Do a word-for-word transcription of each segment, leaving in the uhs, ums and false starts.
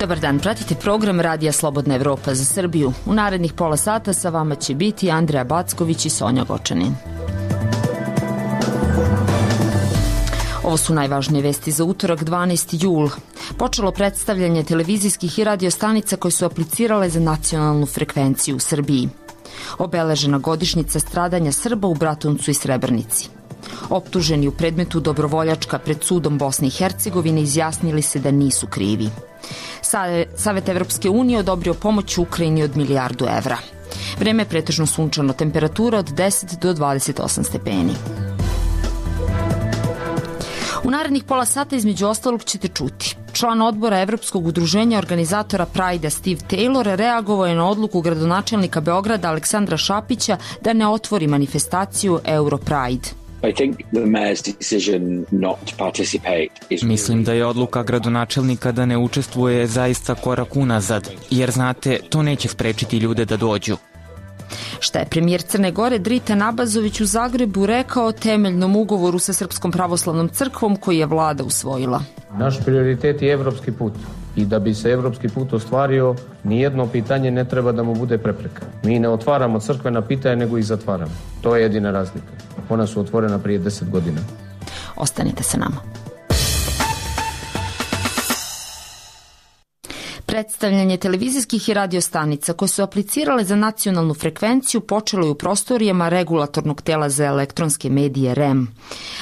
Dobar dan, pratite program Radija Slobodna Evropa za Srbiju. U narednih pola sata sa vama će biti Andreja Backović i Sonja Gočanin. Ovo su najvažnije vesti za utorak, dvanaesti jul. Počelo predstavljanje televizijskih i radio stanica koje su aplicirale za nacionalnu frekvenciju u Srbiji. Obeležena godišnjica stradanja Srba u Bratuncu i Srebrnici. Optuženi u predmetu Dobrovoljačka pred sudom Bosne i Hercegovine izjasnili se da nisu krivi. Savet Evropske unije odobrio pomoć Ukrajini od milijardu evra. Vreme je pretežno sunčano, temperatura od deset do dvadeset osam stepeni. U narednih pola sata između ostalog ćete čuti. Član odbora Evropskog udruženja organizatora Pride-a Steve Taylor reagovao je na odluku gradonačelnika Beograda Aleksandra Šapića da ne otvori manifestaciju Euro Pride. Mislim da je odluka gradonačelnika da ne učestvuje zaista korak unazad, jer znate, to neće sprečiti ljude da dođu. Šta je premijer Crne Gore Dritan Abazović u Zagrebu rekao o temeljnom ugovoru sa Srpskom pravoslavnom crkvom koji je vlada usvojila? Naš prioritet je evropski put i da bi se evropski put ostvario, nijedno pitanje ne treba da mu bude prepreka. Mi ne otvaramo crkvena pitanja, nego ih zatvaramo. To je jedina razlika. Ona su otvorena prije deset godina. Ostanite sa nama. Predstavljanje televizijskih i radio stanica koje su aplicirale za nacionalnu frekvenciju počelo je u prostorijama regulatornog tela za elektronske medije R E M.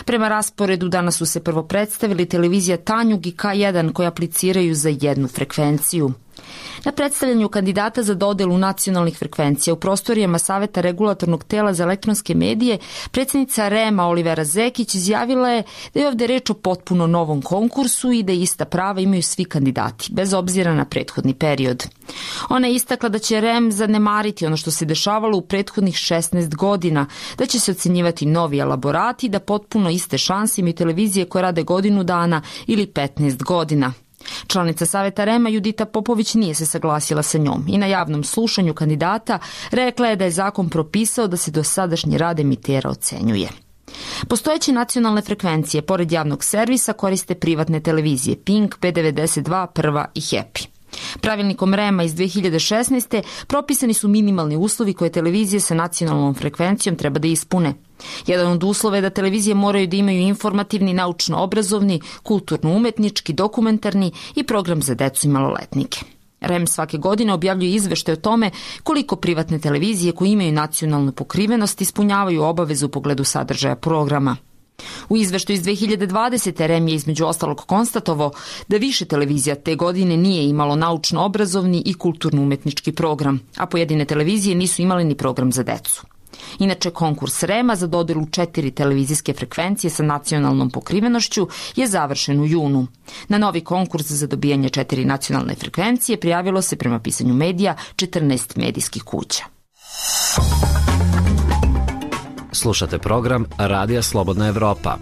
Prema rasporedu danas su se prvo predstavili televizija Tanjug i K jedan koje apliciraju za jednu frekvenciju. Na predstavljanju kandidata za dodelu nacionalnih frekvencija u prostorijama Saveta regulatornog tela za elektronske medije, predsjednica R E M-a Olivera Zekić izjavila je da je ovde reč o potpuno novom konkursu i da ista prava imaju svi kandidati, bez obzira na prethodni period. Ona je istakla da će R E M zanemariti ono što se dešavalo u prethodnih šesnaest godina, da će se ocenjivati novi elaborati, da potpuno iste šanse imaju televizije koje rade godinu dana ili petnaest godina. Članica Saveta R E M-a Judita Popović nije se saglasila sa njom i na javnom slušanju kandidata rekla je da je zakon propisao da se dosadašnji rad emitera ocenjuje. Postojeće nacionalne frekvencije, pored javnog servisa, koriste privatne televizije Pink, B devedeset dva, Prva i Happy. Pravilnikom R E M-a iz dve hiljade šesnaeste. propisani su minimalni uslovi koje televizije sa nacionalnom frekvencijom treba da ispune. Jedan od uslova je da televizije moraju da imaju informativni, naučno-obrazovni, kulturno-umetnički, dokumentarni i program za decu i maloletnike. R E M svake godine objavljuje izveštaj o tome koliko privatne televizije koje imaju nacionalnu pokrivenost ispunjavaju obavezu u pogledu sadržaja programa. U izveštaju iz dve hiljade dvadesete. R E M je između ostalog konstatovao da više televizija te godine nije imalo naučno-obrazovni i kulturno-umetnički program, a pojedine televizije nisu imale ni program za decu. Inače, konkurs R E M-a za dodelu četiri televizijske frekvencije sa nacionalnom pokrivenošću je završen u junu. Na novi konkurs za dobijanje četiri nacionalne frekvencije prijavilo se prema pisanju medija četrnaest medijskih kuća. Slušate program Radija Slobodna Evropa.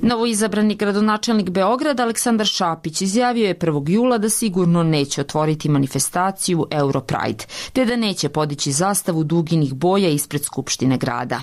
Novoizabrani gradonačelnik Beograda Aleksandar Šapić izjavio je prvog jula da sigurno neće otvoriti manifestaciju Euro Pride, te da neće podići zastavu duginih boja ispred Skupštine grada.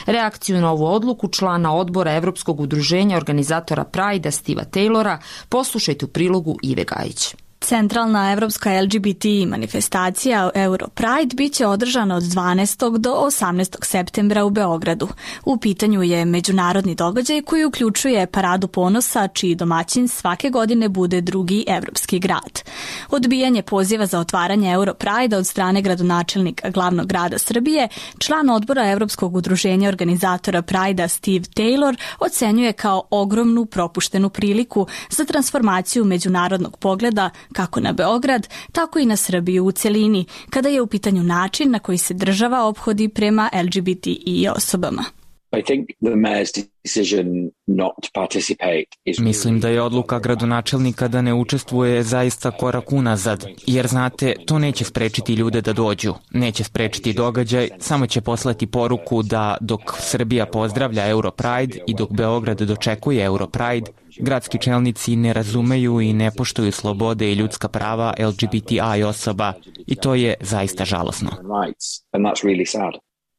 Reakciju na ovu odluku člana odbora Evropskog udruženja organizatora Pride-a Steva Taylora poslušajte u prilogu Ive Gajić. Centralna evropska L G B T manifestacija Euro Pride biće održana od dvanaestog do osamnaestog septembra u Beogradu. U pitanju je međunarodni događaj koji uključuje Paradu ponosa, čiji domaćin svake godine bude drugi evropski grad. Odbijanje poziva za otvaranje Euro Pride od strane gradonačelnika glavnog grada Srbije, član odbora Evropskog udruženja organizatora Pride-a Steve Taylor ocenjuje kao ogromnu propuštenu priliku za transformaciju međunarodnog pogleda kako na Beograd, tako i na Srbiju u celini, kada je u pitanju način na koji se država ophodi prema L G B T I osobama. Mislim da je odluka gradonačelnika da ne učestvuje zaista korak unazad, jer znate, to neće sprečiti ljude da dođu, neće sprečiti događaj, samo će poslati poruku da dok Srbija pozdravlja Euro Pride i dok Beograd dočekuje Euro Pride, gradski čelnici ne razumeju i ne poštuju slobode i ljudska prava L G B T I osoba i to je zaista žalosno.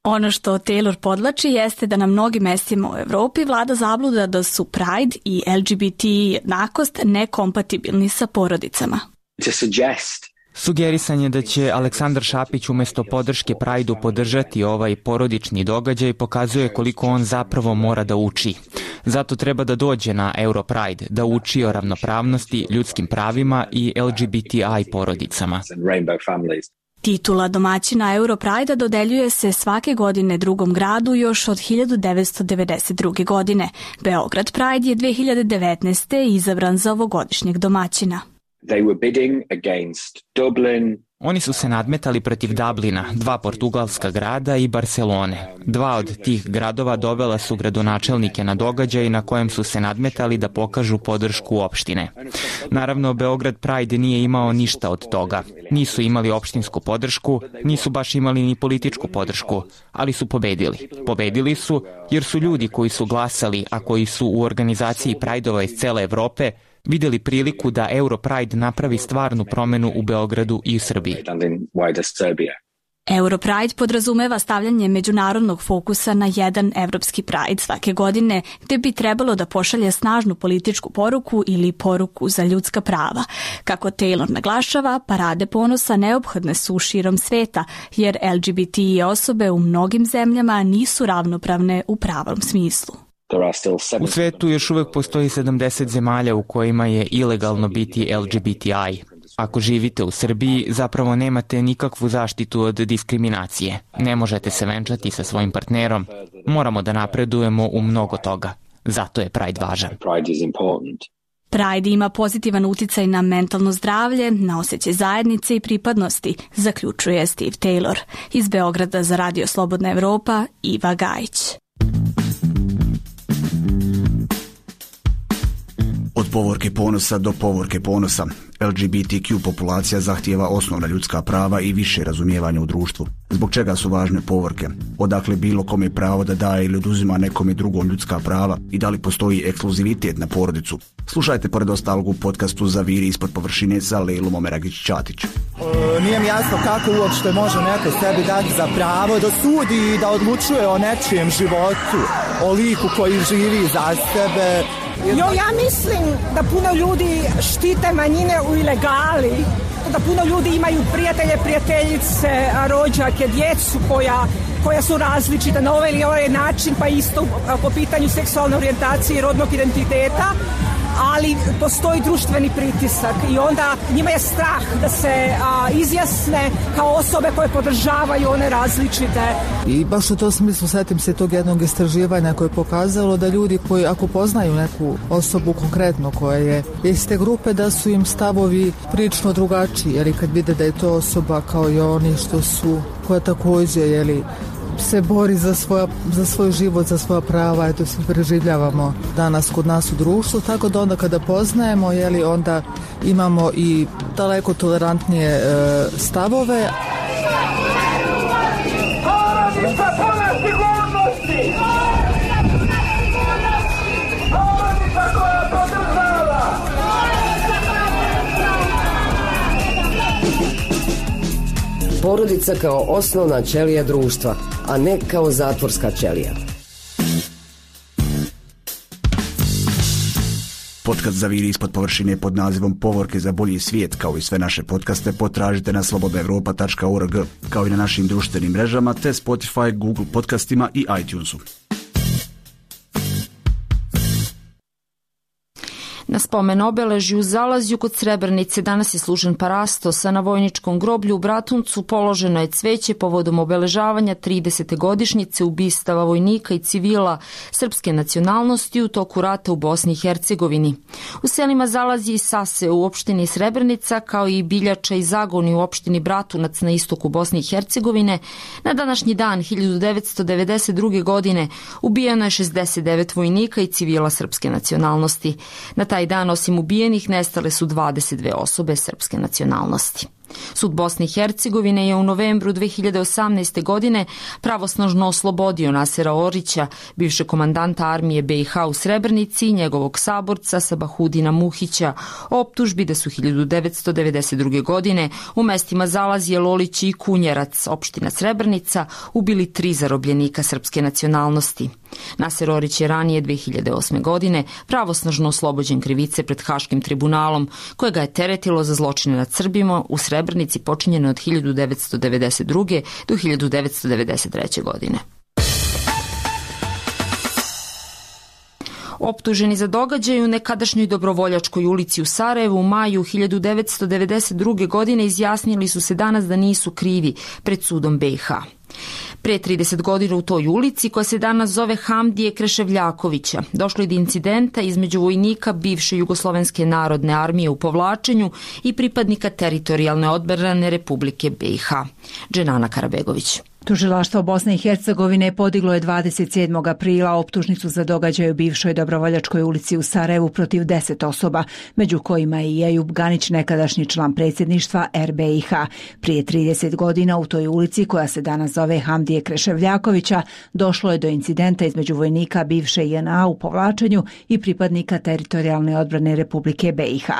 Ono što Taylor podlači jeste da na mnogim mestima u Evropi vlada zabluda da su Pride i L G B T jednakost nekompatibilni sa porodicama. To suggest Sugerisan je da će Aleksandar Šapić umesto podrške Prajdu podržati ovaj porodični događaj pokazuje koliko on zapravo mora da uči. Zato treba da dođe na Europride, da uči o ravnopravnosti, ljudskim pravima i L G B T I porodicama. Titula domaćina Europride dodeljuje se svake godine drugom gradu još od hiljadu devetsto devedeset druge. godine. Beograd Pride je dve hiljade devetnaeste. izabran za ovogodišnjeg domaćina. They were bidding against Dublin. Oni su se nadmetali protiv Dublina, dva portugalska grada i Barcelone. Dva od tih gradova dovela su gradonačelnike na događaj na kojem su se nadmetali da pokažu podršku opštine. Naravno, Beograd Pride nije imao ništa od toga. Nisu imali opštinsku podršku, nisu baš imali ni političku podršku, ali su pobedili. Pobedili su jer su ljudi koji su glasali, a koji su u organizaciji Prideova iz cele Evrope, vidjeli priliku da Europride napravi stvarnu promenu u Beogradu i u Srbiji. Europride podrazumeva stavljanje međunarodnog fokusa na jedan evropski Pride svake godine, gde bi trebalo da pošalje snažnu političku poruku ili poruku za ljudska prava. Kako Taylor naglašava, parade ponosa neophodne su širom sveta, jer L G B T I osobe u mnogim zemljama nisu ravnopravne u pravom smislu. U svetu još uvek postoji sedamdeset zemalja u kojima je ilegalno biti L G B T I. Ako živite u Srbiji, zapravo nemate nikakvu zaštitu od diskriminacije. Ne možete se venčati sa svojim partnerom. Moramo da napredujemo u mnogo toga. Zato je Pride važan. Pride ima pozitivan uticaj na mentalno zdravlje, na osjećaj zajednice i pripadnosti, zaključuje Steve Taylor. Iz Beograda za Radio Slobodna Evropa, Iva Gajić. Od povorke ponosa do povorke ponosa. L G B T Q populacija zahtijeva osnovna ljudska prava i više razumijevanja u društvu. Zbog čega su važne povorke? Odakle bilo kome pravo da daje ili oduzima nekome drugom ljudska prava i da li postoji ekskluzivitet na porodicu? Slušajte pored ostalog u podcastu Zaviri ispod površine sa Lejlom Omeragić-Ćatić. E, nije mi jasno kako uopšte može neko sebi dati za pravo da sudi i da odlučuje o nečijem životu, o liku koji živi za sebe. Jo, ja mislim da puno ljudi štite manjine u ilegali, da puno ljudi imaju prijatelje, prijateljice, rođake, djecu koja, koja su različita na ovaj ili ovaj način, pa isto po pitanju seksualne orijentacije i rodnog identiteta, ali postoji društveni pritisak i onda njima je strah da se a, izjasne kao osobe koje podržavaju one različite. I baš u tom smislu setim se tog jednog istraživanja koje je pokazalo da ljudi koji ako poznaju neku osobu konkretno koja je iz te grupe, da su im stavovi prilično drugačiji, jer i kad vide da je to osoba kao i oni što su, koja također jeli, se bori za, svoja, za svoj život, za svoja prava, eto se preživljavamo danas kod nas u društvu, tako da onda kada poznajemo, jeli, onda imamo i daleko tolerantnije e, stavove. Porodica kao osnovna ćelija društva, a ne kao zatvorska ćelija. Podcast Zaviri ispod površine pod nazivom Povorke za bolji svijet, kao i sve naše podcaste, potražite na slobodna evropa tačka org, kao i na našim društvenim mrežama, te Spotify, Google podcastima i iTunesu. Na spomen obeležju u Zalazju kod Srebrenice danas je služen parastos, a na vojničkom groblju u Bratuncu položeno je cveće povodom obeležavanja tridesete godišnjice ubistava vojnika i civila srpske nacionalnosti u toku rata u Bosni i Hercegovini. U selima Zalazje i Sase u opštini Srebrenica, kao i Biljača i Zagoni u opštini Bratunac na istoku Bosne i Hercegovine, na današnji dan hiljadu devetsto devedeset druge. godine ubijeno je šezdeset devet vojnika i civila srpske nacionalnosti. Na taj dan, osim ubijenih, nestale su dvadeset dve osobe srpske nacionalnosti. Sud Bosne i Hercegovine je u novembru dve hiljade osamnaeste. godine pravosnažno oslobodio Nasera Orića, bivšeg komandanta armije B i H u Srebrenici, i njegovog saborca Sabahudina Muhića, o optužbi da su hiljadu devetsto devedeset druge. godine u mestima Zalazije, Lolići i Kunjerac, opština Srebrenica, ubili tri zarobljenika srpske nacionalnosti. Naser Orić je ranije dve hiljade osme. godine pravosnažno oslobođen krivice pred Haškim tribunalom, koje ga je teretilo za zločine nad Srbima u Srebrenici počinjene od hiljadu devetsto devedeset druge. do hiljadu devetsto devedeset treće. godine. Optuženi za događaj u nekadašnjoj Dobrovoljačkoj ulici u Sarajevu u maju hiljadu devetsto devedeset druge. godine izjasnili su se danas da nisu krivi pred sudom B i H. Pre trideset godina u toj ulici, koja se danas zove Hamdije Kreševljakovića, došlo je do incidenta između vojnika bivše Jugoslovenske narodne armije u povlačenju i pripadnika teritorijalne odbrane Republike B i H. Dženana Karabegović. Tužilaštvo Bosne i Hercegovine podiglo je dvadeset sedmog aprila optužnicu za događaj u bivšoj Dobrovoljačkoj ulici u Sarajevu protiv deset osoba, među kojima je i Ejub Ganić, nekadašnji član predsjedništva R B I H. Prije trideset godina u toj ulici, koja se danas zove Hamdije Kreševljakovića, došlo je do incidenta između vojnika bivše J N A u povlačenju i pripadnika teritorijalne odbrane Republike B i H.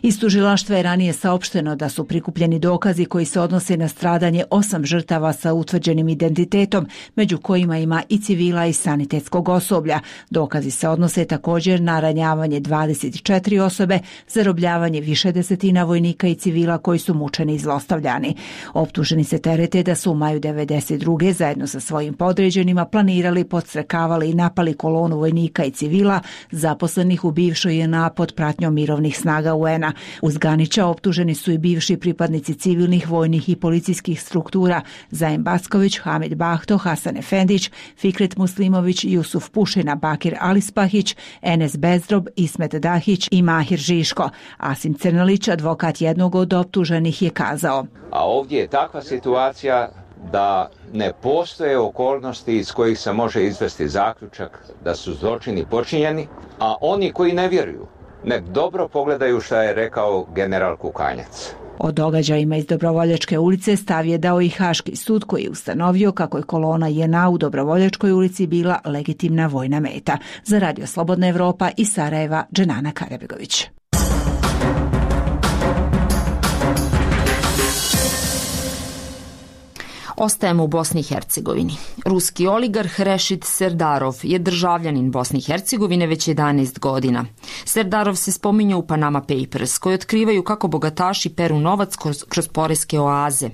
Iz tužilaštva je ranije saopšteno da su prikupljeni dokazi koji se odnose na stradanje osam žrtava sa utvrđenim identitetom, među kojima ima i civila i sanitetskog osoblja. Dokazi se odnose također na ranjavanje dvadeset četiri osobe, zarobljavanje više desetina vojnika i civila koji su mučeni i zlostavljani. Optuženi se terete da su u maju devedeset druge zajedno sa svojim podređenima planirali, podstrekavali i napali kolonu vojnika i civila zaposlenih u bivšoj J N A pod pratnjom mirovnih snaga U N A. Uz Ganića optuženi su i bivši pripadnici civilnih, vojnih i policijskih struktura Zaim Backović, Hamid Bahto, Hasan Efendić, Fikret Muslimović, Jusuf Pušina, Bakir Alispahić, Enes Bezdrob, Ismet Dahić i Mahir Žiško. Asim Crnalić, advokat jednog od optuženih, je kazao: A ovdje je takva situacija da ne postoje okolnosti iz kojih se može izvesti zaključak da su zločini počinjeni, a oni koji ne vjeruju, nek dobro pogledaju šta je rekao general Kukanjac. O događajima iz Dobrovoljačke ulice stav je dao i Haški sud, koji je ustanovio kako je kolona J N A u Dobrovoljačkoj ulici bila legitimna vojna meta. Za Radio Slobodna Evropa iz Sarajeva, Dženana Karabegović. Ostajemo u Bosni i Hercegovini. Ruski oligarh Rešid Serdarov je državljanin Bosne i Hercegovine već jedanaest godina. Serdarov se spominje u Panama Papers, koji otkrivaju kako bogataši peru novac kroz, kroz poreske oaze.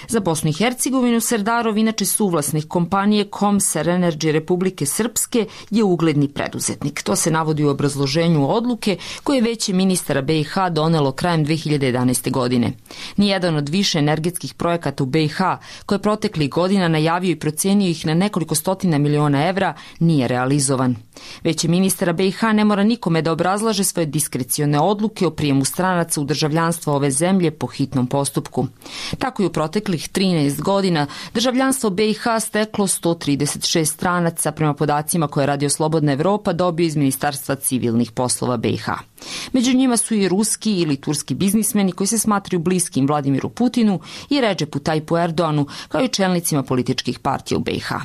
Za Bosnu i Hercegovinu Serdarov, inače suvlasnik kompanije Komsar Energy Republike Srpske, je ugledni preduzetnik. To se navodi u obrazloženju odluke koje je Veće ministara B i H donelo krajem dve hiljade jedanaeste. godine. Nijedan od više energetskih projekata u B i H, koje proteklih godina najavio i procenio ih na nekoliko stotina miliona evra, nije realizovan. Veće ministara B i H ne mora nikome da obrazlaže svoje diskrecione odluke o prijemu stranaca u državljanstvo ove zemlje po hitnom postupku. Tako je u proteklih trinaest godina državljanstvo B i H steklo sto trideset šest stranaca, prema podacima koje Radio Slobodna Evropa dobio iz Ministarstva civilnih poslova B i H. Među njima su i ruski ili turski biznismeni koji se smatraju bliskim Vladimiru Putinu i Redžepu Tajpu Erdoanu, kao i čelnicima političkih partija u B i H.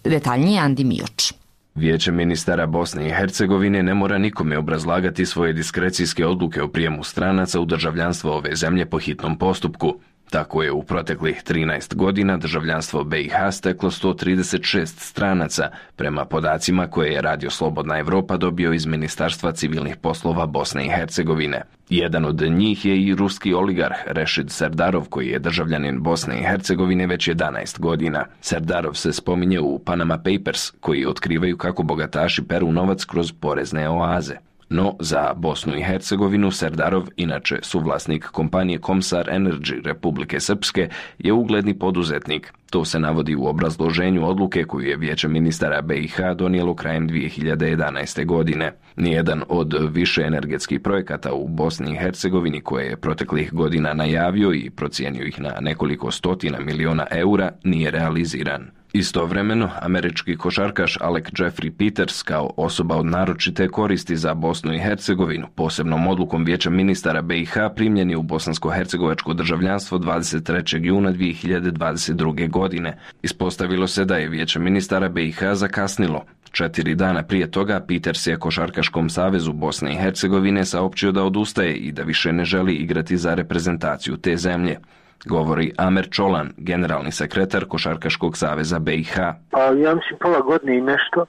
Detaljnije Andi Mioč. Vijeće ministara Bosne i Hercegovine ne mora nikome obrazlagati svoje diskrecijske odluke o prijemu stranaca u državljanstvo ove zemlje po hitnom postupku. Tako je u proteklih trinaest godina državljanstvo B i H steklo sto trideset šest stranaca, prema podacima koje je Radio Slobodna Evropa dobio iz Ministarstva civilnih poslova Bosne i Hercegovine. Jedan od njih je i ruski oligarh Rešid Serdarov, koji je državljanin Bosne i Hercegovine već jedanaest godina. Serdarov se spominje u Panama Papers, koji otkrivaju kako bogataši peru novac kroz porezne oaze. No, za Bosnu i Hercegovinu Serdarov, inače suvlasnik kompanije Komsar Energy Republike Srpske, je ugledni poduzetnik. To se navodi u obrazloženju odluke koju je Vijeće ministara B i H donijelo krajem dvije hiljade jedanaeste. godine. Nijedan od više energetskih projekata u Bosni i Hercegovini, koje je proteklih godina najavio i procijenio ih na nekoliko stotina miliona eura, nije realiziran. Istovremeno, američki košarkaš Alec Jeffrey Peters kao osoba od naročite koristi za Bosnu i Hercegovinu, posebnom odlukom Vijeća ministara B i H primljen je u bosansko-hercegovačko državljanstvo dvadeset trećeg juna dvije hiljade dvadeset druge. godine. Ispostavilo se da je Vijeće ministara B i H zakasnilo. Četiri dana prije toga Peters je Košarkaškom savezu Bosne i Hercegovine saopćio da odustaje i da više ne želi igrati za reprezentaciju te zemlje. Govori Amer Čolan, generalni sekretar Košarkaškog saveza B i H. Pa ja mislim pola godine i nešto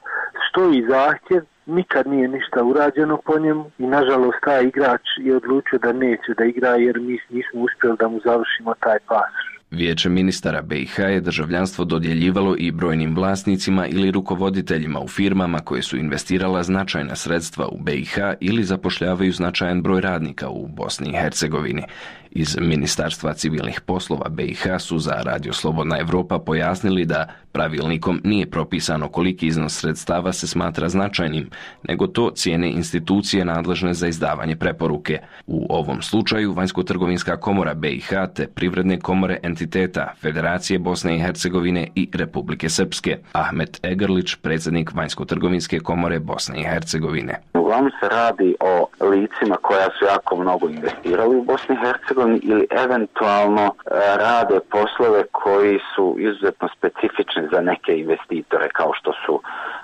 stoji zahtjev, nikad nije ništa urađeno po njemu i nažalost taj igrač je odlučio da neće da igra jer mi nismo uspjeli da mu završimo taj pasoš. Vijeće ministara B i H je državljanstvo dodjeljivalo i brojnim vlasnicima ili rukovoditeljima u firmama koje su investirala značajna sredstva u B i H ili zapošljavaju značajan broj radnika u Bosni i Hercegovini. Iz Ministarstva civilnih poslova B i H su za Radio Slobodna Evropa pojasnili da pravilnikom nije propisano koliki iznos sredstava se smatra značajnim, nego to cijene institucije nadležne za izdavanje preporuke. U ovom slučaju Vanjsko-trgovinska komora B i H te privredne komore entiteta Federacije Bosne i Hercegovine i Republike Srpske. Ahmet Egrlić, predsjednik Vanjsko-trgovinske komore Bosne i Hercegovine. Uglavnom se radi o licima koja su jako mnogo investirali u Bosni i Hercegovini ili eventualno rade poslove koji su izuzetno specifični za neke investitore kao što su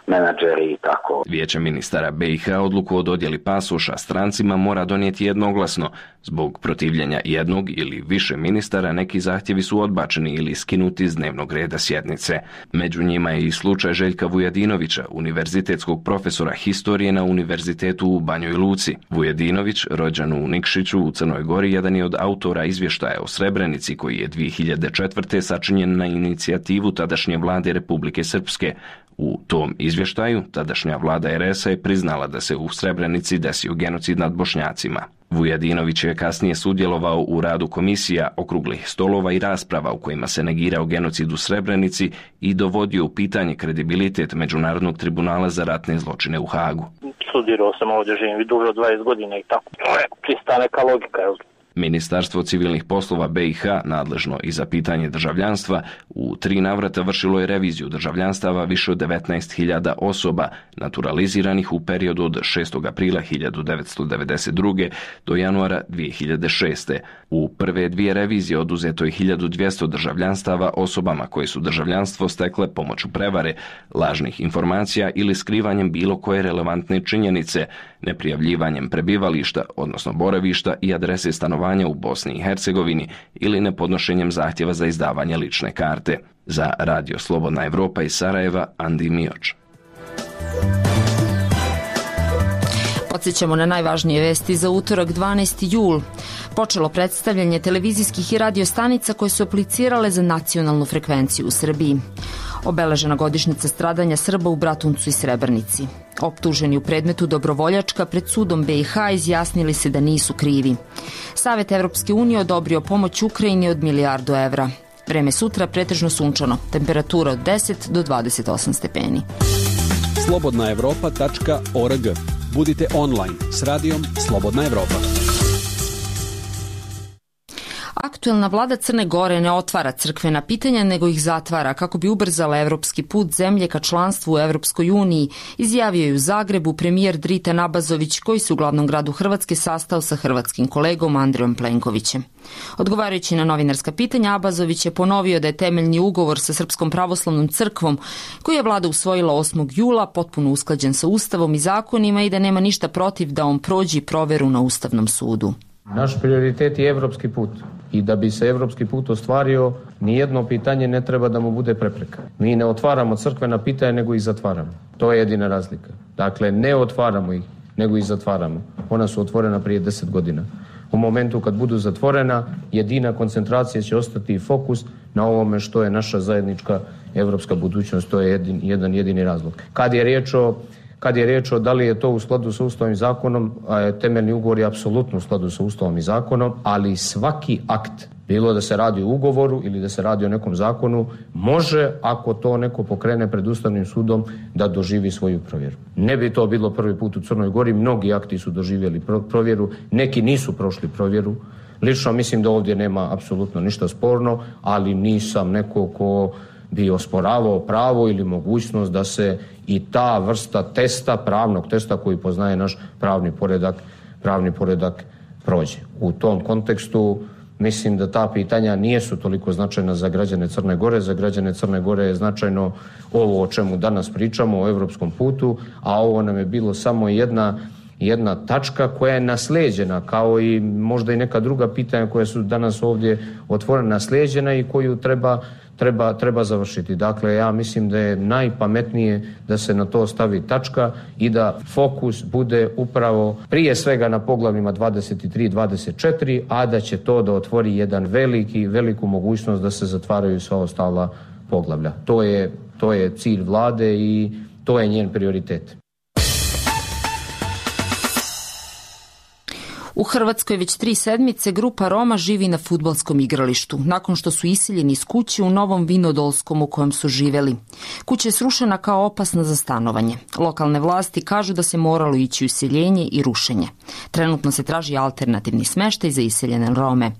menadžeri i tako. Vijeće ministara B i H odluku o dodjeli pasoša strancima mora donijeti jednoglasno. Zbog protivljenja jednog ili više ministara neki zahtjevi su odbačeni ili skinuti iz dnevnog reda sjednice. Među njima je i slučaj Željka Vujedinovića, univerzitetskog profesora historije na Univerzitetu u Banjoj Luci. Vujedinović, rođen u Nikšiću u Crnoj Gori, jedan je od autora izvještaja o Srebrenici koji je dvije hiljade četvrte. sačinjen na inicijativu tadašnje vlade Republike Srpske. U tom izvještaju tadašnja vlada er es a je priznala da se u Srebrenici desio genocid nad Bošnjacima. Vujedinović je kasnije sudjelovao u radu komisija, okruglih stolova i rasprava u kojima se negirao genocid u Srebrenici i dovodio u pitanje kredibilitet Međunarodnog tribunala za ratne zločine u Hagu. Studirao sam ovdje, živim duže od dvadeset godina i tako. To je čista neka logika, jel? Ministarstvo civilnih poslova B i H, nadležno i za pitanje državljanstva, u tri navrata vršilo je reviziju državljanstava više od devetnaest hiljada osoba naturaliziranih u periodu od šestog aprila hiljadu devetsto devedeset druge. do januara dvije hiljade šeste. U prve dvije revizije oduzeto je hiljadu dvjesto državljanstava osobama koje su državljanstvo stekle pomoću prevare, lažnih informacija ili skrivanjem bilo koje relevantne činjenice, neprijavljivanjem prebivališta, odnosno boravišta i adrese stanovanja u Bosni i Hercegovini ili nepodnošenjem zahtjeva za izdavanje lične karte. Za Radio Slobodna Evropa iz Sarajeva, Andi Mioč. Podsjećamo na najvažnije vesti za utorak dvanaesti jul. Počelo predstavljanje televizijskih i radio stanica koje su aplicirale za nacionalnu frekvenciju u Srbiji. Obeležena godišnjica stradanja Srba u Bratuncu i Srebrnici. Optuženi u predmetu Dobrovoljačka pred sudom B i H izjasnili se da nisu krivi. Savet Evropske unije odobrio pomoć Ukrajini od milijardu evra. Vreme sutra pretežno sunčano, temperatura od deset do dvadeset osam stepeni. slobodna evropa tačka org. Budite online s radijom Slobodna Evropa. Aktuelna vlada Crne Gore ne otvara crkvena pitanja, nego ih zatvara kako bi ubrzala evropski put zemlje ka članstvu u Evropskoj uniji, izjavio je u Zagrebu premijer Dritan Abazović, koji se u glavnom gradu Hrvatske sastao sa hrvatskim kolegom Andrejom Plenkovićem. Odgovarajući na novinarska pitanja, Abazović je ponovio da je temeljni ugovor sa Srpskom pravoslavnom crkvom, koji je vlada usvojila osmog jula, potpuno usklađen sa Ustavom i zakonima i da nema ništa protiv da on prođi proveru na Ustavnom sudu. Naš prioritet je evropski put i da bi se evropski put ostvario, nijedno pitanje ne treba da mu bude prepreka. Mi ne otvaramo crkvena pitanja, nego ih zatvaramo. To je jedina razlika. Dakle, ne otvaramo ih, nego ih zatvaramo. Ona su otvorena prije deset godina. U momentu kad budu zatvorena, jedina koncentracija će ostati i fokus na ovome što je naša zajednička evropska budućnost. To je jedin, jedan jedini razlog. Kad je riječ o Kad je riječ o da li je to u skladu sa Ustavom i zakonom, temeljni ugovor je apsolutno u skladu sa Ustavom i zakonom, ali svaki akt, bilo da se radi o ugovoru ili da se radi o nekom zakonu, može, ako to neko pokrene pred Ustavnim sudom, da doživi svoju provjeru. Ne bi to bilo prvi put u Crnoj Gori, mnogi akti su doživjeli provjeru, neki nisu prošli provjeru. Lično mislim da ovdje nema apsolutno ništa sporno, ali nisam neko ko bi osporavao pravo ili mogućnost da se i ta vrsta testa, pravnog testa koji poznaje naš pravni poredak, pravni poredak prođe. U tom kontekstu mislim da ta pitanja nijesu toliko značajna za građane Crne Gore. Za građane Crne Gore je značajno ovo o čemu danas pričamo, o evropskom putu, a ovo nam je bilo samo jedna, jedna tačka koja je naslijeđena, kao i možda i neka druga pitanja koja su danas ovdje otvorena, naslijeđena i koju treba Treba, treba završiti. Dakle, ja mislim da je najpametnije da se na to stavi tačka i da fokus bude upravo prije svega na poglavljima dvadeset tri i dvadeset četiri, a da će to da otvori jedan veliki, veliku mogućnost da se zatvaraju sva ostala poglavlja. To je, to je cilj vlade i to je njen prioritet. U Hrvatskoj već tri sedmice grupa Roma živi na fudbalskom igralištu, nakon što su iseljeni iz kuće u Novom Vinodolskom u kojem su živeli. Kuća je srušena kao opasna za stanovanje. Lokalne vlasti kažu da se moralo ići u iseljenje i rušenje. Trenutno se traži alternativni smještaj za iseljene Rome.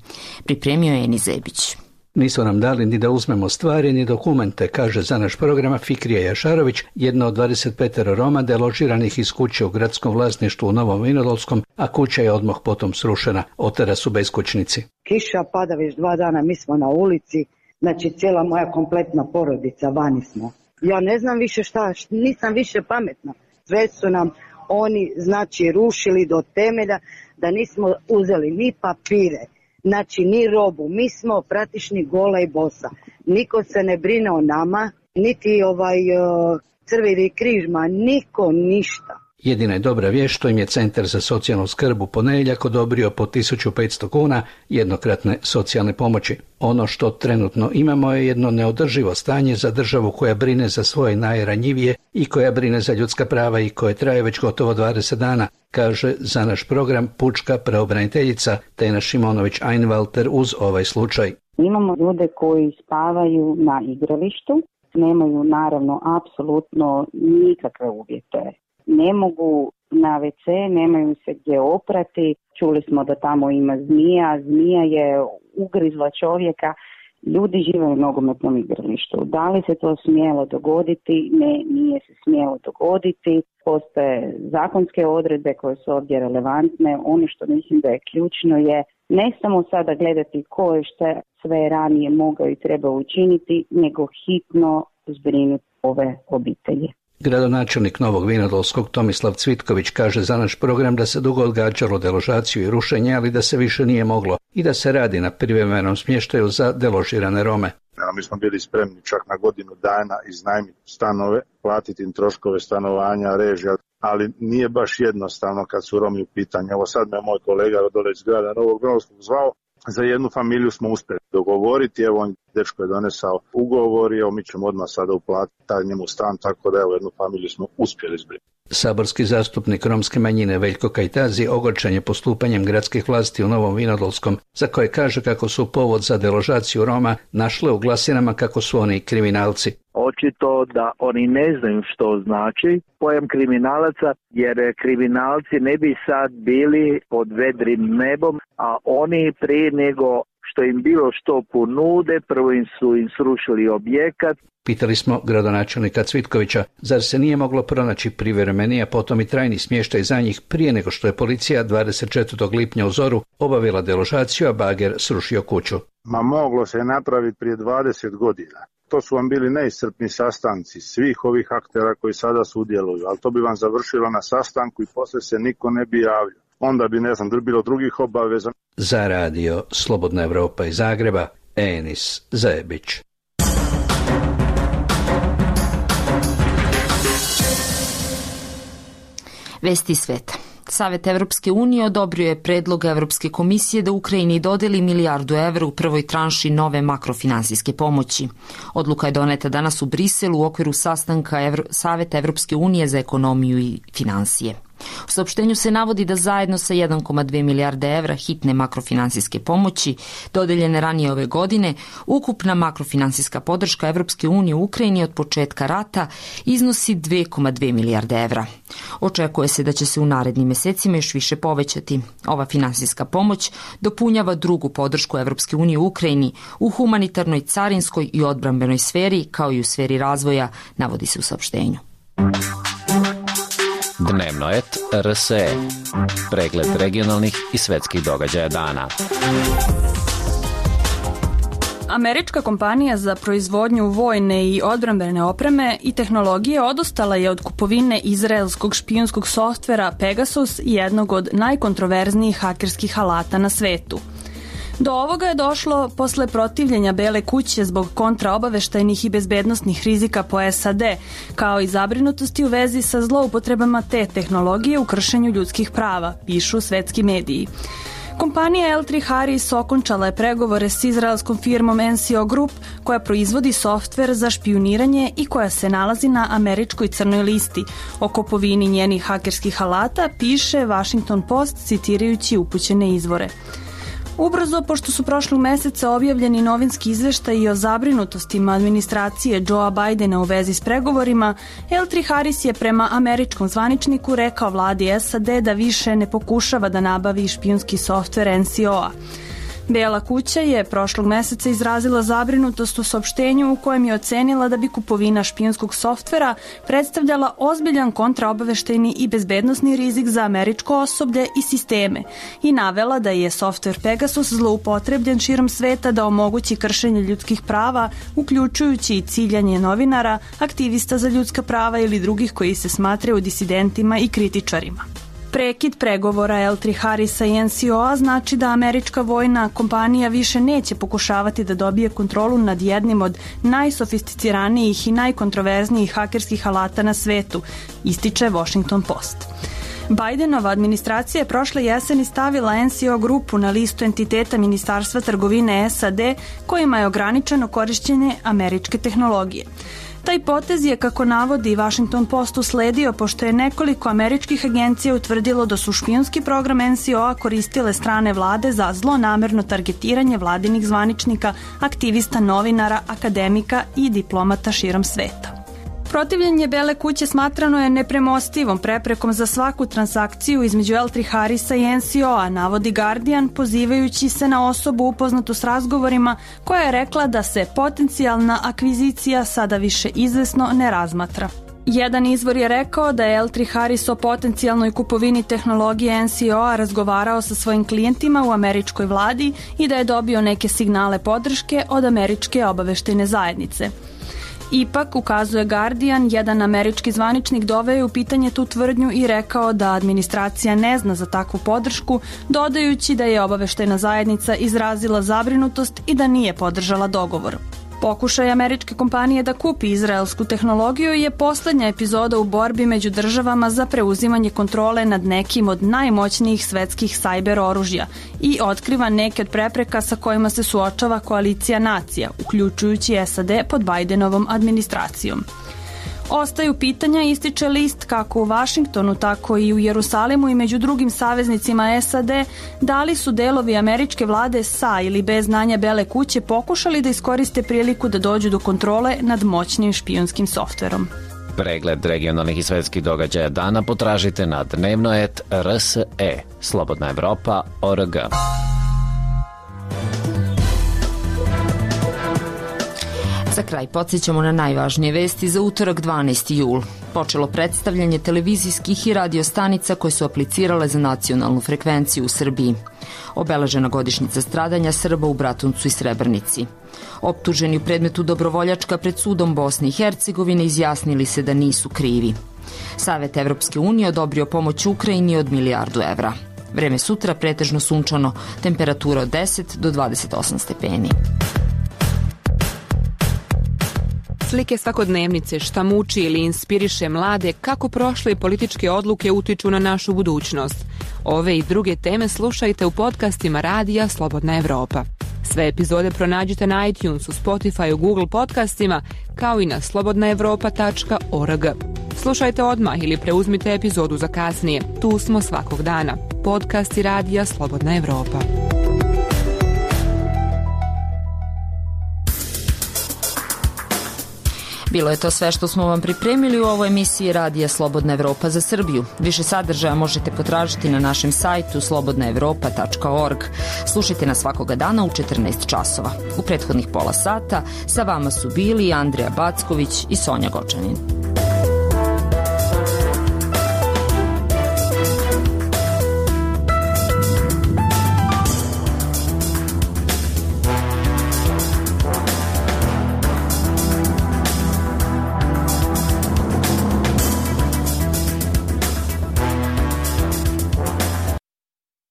Pripremio je Eni Zebić. Nisu nam dali ni da uzmemo stvari ni dokumente, kaže za naš program Fikrija Jašarović, jedna od dvadeset pet Roma deložiranih iz kuće u gradskom vlasništvu u Novom Vinodolskom, a kuća je odmah potom srušena. Od tada su beskućnici. Kiša pada već dva dana, mi smo na ulici, znači cijela moja kompletna porodica, vani smo. Ja ne znam više šta, nisam više pametna. Sve su nam oni, znači, rušili do temelja, da nismo uzeli ni papire, znači ni robu, mi smo praktični gola i bosa. Niko se ne brine o nama, niti ovaj uh, Crveni križ, ma niko ništa. Jedina je dobra vijest što im je Centar za socijalnu skrb u ponedjeljak odobrio po tisuću petsto kuna jednokratne socijalne pomoći. Ono što trenutno imamo je jedno neodrživo stanje za državu koja brine za svoje najranjivije i koja brine za ljudska prava i koje traje već gotovo dvadeset dana, kaže za naš program pučka pravobraniteljica Tena Šimonović-Einwalter uz ovaj slučaj. Imamo ljude koji spavaju na igralištu, nemaju naravno apsolutno nikakve uvjete. Ne mogu na ve ce, nemaju se gdje oprati. Čuli smo da tamo ima zmija, zmija je ugrizla čovjeka. Ljudi žive u nogometnom igralištu. Da li se to smjelo dogoditi? Ne, nije se smjelo dogoditi. Postoje zakonske odredbe koje su ovdje relevantne. Ono što mislim da je ključno je ne samo sada gledati ko je što sve ranije mogao i trebao učiniti, nego hitno zbrinuti ove obitelji. Gradonačelnik Novog Vinodolskog Tomislav Cvitković kaže za naš program da se dugo odgađalo deložaciju i rušenje, ali da se više nije moglo i da se radi na privremenom smještaju za deložirane Rome. Ja, mi smo bili spremni čak na godinu dana iznajmiti stanove, platiti im troškove stanovanja, režija, ali nije baš jednostavno kad su Romi u pitanju. Evo sad me moj kolega dole iz grada Novog Vinodolskog zvao, za jednu familiju smo uspjeli dogovoriti, evo on dečko je donesao ugovor i evo mi ćemo odmah sada uplatiti taj njemu stan, tako da evo jednu familiju smo uspjeli zbrinuti. Saborski zastupnik romske manjine Veljko Kajtazi ogorčen je postupanjem gradskih vlasti u Novom Vinodolskom, za koje kaže kako su povod za deložaciju Roma našle u glasinama kako su oni kriminalci. Očito da oni ne znaju što znači pojam kriminalaca, jer kriminalci ne bi sad bili pod vedrim nebom, a oni prije nego što im bilo što ponude, prvo im su im srušili objekat. Pitali smo gradonačelnika Cvitkovića, zar se nije moglo pronaći privremeni, a potom i trajni smještaj za njih prije nego što je policija dvadeset četvrtog lipnja u zoru obavila deložaciju, a bager srušio kuću. Ma moglo se napraviti prije dvadeset godina. To su vam bili neiscrpni sastanci svih ovih aktera koji sada sudjeluju, ali to bi vam završilo na sastanku i poslije se niko ne bi javljao. Onda bi, ne znam, bilo drugih obaveza. Za radio Slobodna Evropa iz Zagreba, Enis Zebić. Vesti sveta. Savet Evropske unije odobrio je predlog Evropske komisije da Ukrajini dodeli milijardu evra u prvoj tranši nove makrofinansijske pomoći. Odluka je doneta danas u Briselu u okviru sastanka Evro... Saveta Evropske unije za ekonomiju i finansije. U saopštenju se navodi da zajedno sa jedan zarez dve milijarde evra hitne makrofinansijske pomoći dodeljene ranije ove godine, ukupna makrofinansijska podrška Evropske unije u Ukrajini od početka rata iznosi dve zarez dve milijarde evra. Očekuje se da će se u narednim mesecima još više povećati. Ova finansijska pomoć dopunjava drugu podršku Evropske unije u Ukrajini u humanitarnoj, carinskoj i odbrambenoj sferi, kao i u sferi razvoja, navodi se u saopštenju. Dnevno et R S E. Pregled regionalnih i svetskih događaja dana. Američka kompanija za proizvodnju vojne i odbrambene opreme i tehnologije odustala je od kupovine izraelskog špijunskog softvera Pegasus, jednog od najkontroverznijih hakerskih alata na svetu. Do ovoga je došlo posle protivljenja Bele kuće zbog kontraobaveštajnih i bezbednostnih rizika po S A D, kao i zabrinutosti u vezi sa zloupotrebama te tehnologije u kršenju ljudskih prava, pišu svetski mediji. Kompanija L tri Harris okončala je pregovore s izraelskom firmom N C O Group, koja proizvodi softver za špijuniranje i koja se nalazi na američkoj crnoj listi. O kupovini njenih hakerskih alata piše Washington Post citirajući upućene izvore. Ubrzo, pošto su prošlog meseca objavljeni novinski izveštaji o zabrinutostima administracije Joea Bidena u vezi s pregovorima, L tri Harris je prema američkom zvaničniku rekao vladi S A D da više ne pokušava da nabavi špijunski softver N C O-a. Bela kuća je prošlog meseca izrazila zabrinutost u saopštenju u kojem je ocenila da bi kupovina špijunskog softvera predstavljala ozbiljan kontraobaveštajni i bezbednosni rizik za američko osoblje i sisteme i navela da je softver Pegasus zloupotrebljen širom sveta da omogući kršenje ljudskih prava, uključujući i ciljanje novinara, aktivista za ljudska prava ili drugih koji se smatraju disidentima i kritičarima. Prekid pregovora L tri Harrisa i N C O-a znači da američka vojna kompanija više neće pokušavati da dobije kontrolu nad jednim od najsofisticiranijih i najkontroverznijih hakerskih alata na svetu, ističe Washington Post. Bidenova administracija je prošle jeseni stavila N C O grupu na listu entiteta Ministarstva trgovine S A D kojima je ograničeno korišćenje američke tehnologije. Taj potez je, kako navodi Washington Post, usledio pošto je nekoliko američkih agencija utvrdilo da su špijunski program N C O-a koristile strane vlade za zlonamerno targetiranje vladinih zvaničnika, aktivista, novinara, akademika i diplomata širom sveta. Protivljenje Bele kuće smatrano je nepremostivom preprekom za svaku transakciju između L tri Harrisa i N C O-a, navodi Guardian, pozivajući se na osobu upoznatu s razgovorima koja je rekla da se potencijalna akvizicija sada više izvesno ne razmatra. Jedan izvor je rekao da je L tri Harris o potencijalnoj kupovini tehnologije N C O-a razgovarao sa svojim klijentima u američkoj vladi i da je dobio neke signale podrške od američke obaveštajne zajednice. Ipak, ukazuje Guardian, jedan američki zvaničnik doveo je u pitanje tu tvrdnju i rekao da administracija ne zna za takvu podršku, dodajući da je obaveštajna zajednica izrazila zabrinutost i da nije podržala dogovor. Pokušaj američke kompanije da kupi izraelsku tehnologiju je poslednja epizoda u borbi među državama za preuzimanje kontrole nad nekim od najmoćnijih svetskih sajber oružja i otkriva neke od prepreka sa kojima se suočava koalicija nacija, uključujući S A D pod Bidenovom administracijom. Ostaju pitanja, ističe list, kako u Vašingtonu, tako i u Jerusalimu i među drugim saveznicima S A D, da li su delovi američke vlade sa ili bez znanja Bele kuće pokušali da iskoriste priliku da dođu do kontrole nad moćnim špijunskim softverom. Pregled regionalnih i svetskih događaja dana potražite na dnevno et R S E, Slobodna Evropa, O R G. Za kraj podsjećamo na najvažnije vesti za utorak dvanaesti jul. Počelo predstavljanje televizijskih i radio stanica koje su aplicirale za nacionalnu frekvenciju u Srbiji. Obeležena godišnjica stradanja Srba u Bratuncu i Srebrnici. Optuženi u predmetu Dobrovoljačka pred sudom Bosne i Hercegovine izjasnili se da nisu krivi. Savet Evropske unije odobrio pomoć Ukrajini od milijardu evra. Vreme sutra pretežno sunčano, temperatura od deset do dvadeset osam stepeni. Slike svakodnevnice, šta muči ili inspiriše mlade, kako prošle političke odluke utiču na našu budućnost. Ove i druge teme slušajte u podcastima Radija Slobodna Evropa. Sve epizode pronađite na iTunesu, Spotifyu, Google podcastima, kao i na slobodna evropa tačka org. Slušajte odmah ili preuzmite epizodu za kasnije. Tu smo svakog dana. Podcast i radija Slobodna Evropa. Bilo je to sve što smo vam pripremili u ovoj emisiji Radija Slobodna Evropa za Srbiju. Više sadržaja možete potražiti na našem sajtu slobodna evropa tačka org. Slušajte nas svakoga dana u četrnaest časova. U prethodnih pola sata sa vama su bili Andrija Backović i Sonja Gočanin.